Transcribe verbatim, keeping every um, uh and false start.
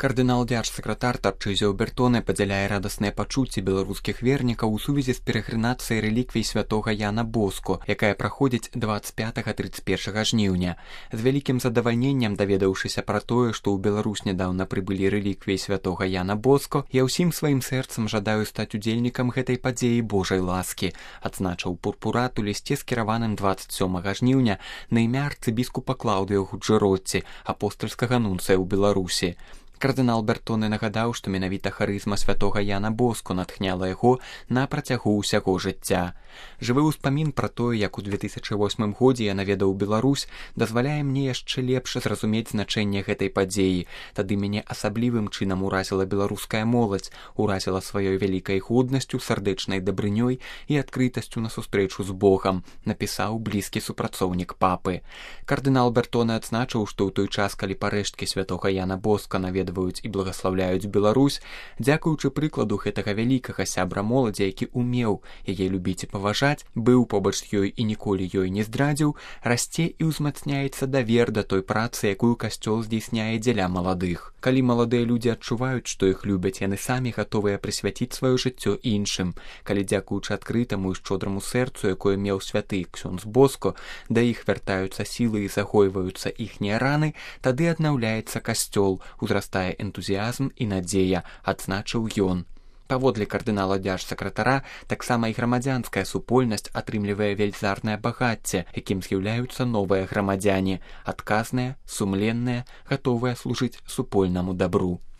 Кардынал дзяржсакратар Тарчызіо Бертоне падзяляе радасныя пачуцці беларускіх вернікаў у сувязі з перагрынацыяй рэліквій святога Яна Боско, якая праходзіць дваццаць пятага - трыццаць першага жніўня. З вялікім задавальненнем даведаўшыся пра тое, што ў Беларусь нядаўна прыбылі рэліквіі святога Яна Боско, я ўсім сваім сэрцам жадаю стаць удзельнікам гэтай падзеі Божай ласкі, адзначыў пурпурат у лісце скіраваным дваццаць сёмага жніўня на імя арцыбіскупа Клаўдыо Гуджэротці, апостальскага нунцыя ў Беларусі. Кардынал Бертоне нагадаў, што менавіта харызма святога Яна Боско натхняла яго на працягу ўсяго жыцця. Жывы ўспамін пра тое, як у две тысячы восьмым годзе я наведаў Беларусь, дазваляе мне яшчэ лепш зразумець значэнне гэтай падзеі. Тады мяне асаблівым чынам уразіла беларуская моладзь, уразіла сваёй вялікай годнасцю, сардэчнай дабрынёй і адкрытасцю на сустрэчу з Богам, напісаў блізкі супрацоўнік папы. Кардынал Бертоне адзначыў, што ў той час, калі парэшткі святога Яна Боско наведваюць і благаслаўляюць Беларусь, дзякуючы прыкладу гэтага вялікага сябра моладзі, які умеў яе любіць і паважаць, быў побач з ёй і ніколі ёй не здрадзіў, расце і ўзмацняецца давер да той працы, якую касцёл здзейсняе дзеля маладых. Калі маладыя людзі адчуваюць, што іх любяць, яны самі гатовыя прысвяціць сваё жыццё іншым. Калі дзякуючы адкрытаму і шчодраму сэрцу, якое меў святы ксёндз Боско, да іх вяртаюцца сілы і загойваюцца іхнія раны, тады аднаўляецца касцёл, узрастае энтузіязм і надзея, адзначыў ён. Паводле кардынала дзяржсакратара, таксама і грамадзянская супольнасць атрымлівае вельзарнае багацце, якім з'яўляюцца новыя грамадзяне, адказныя, сумленныя, гатовыя служыць супольнаму дабру.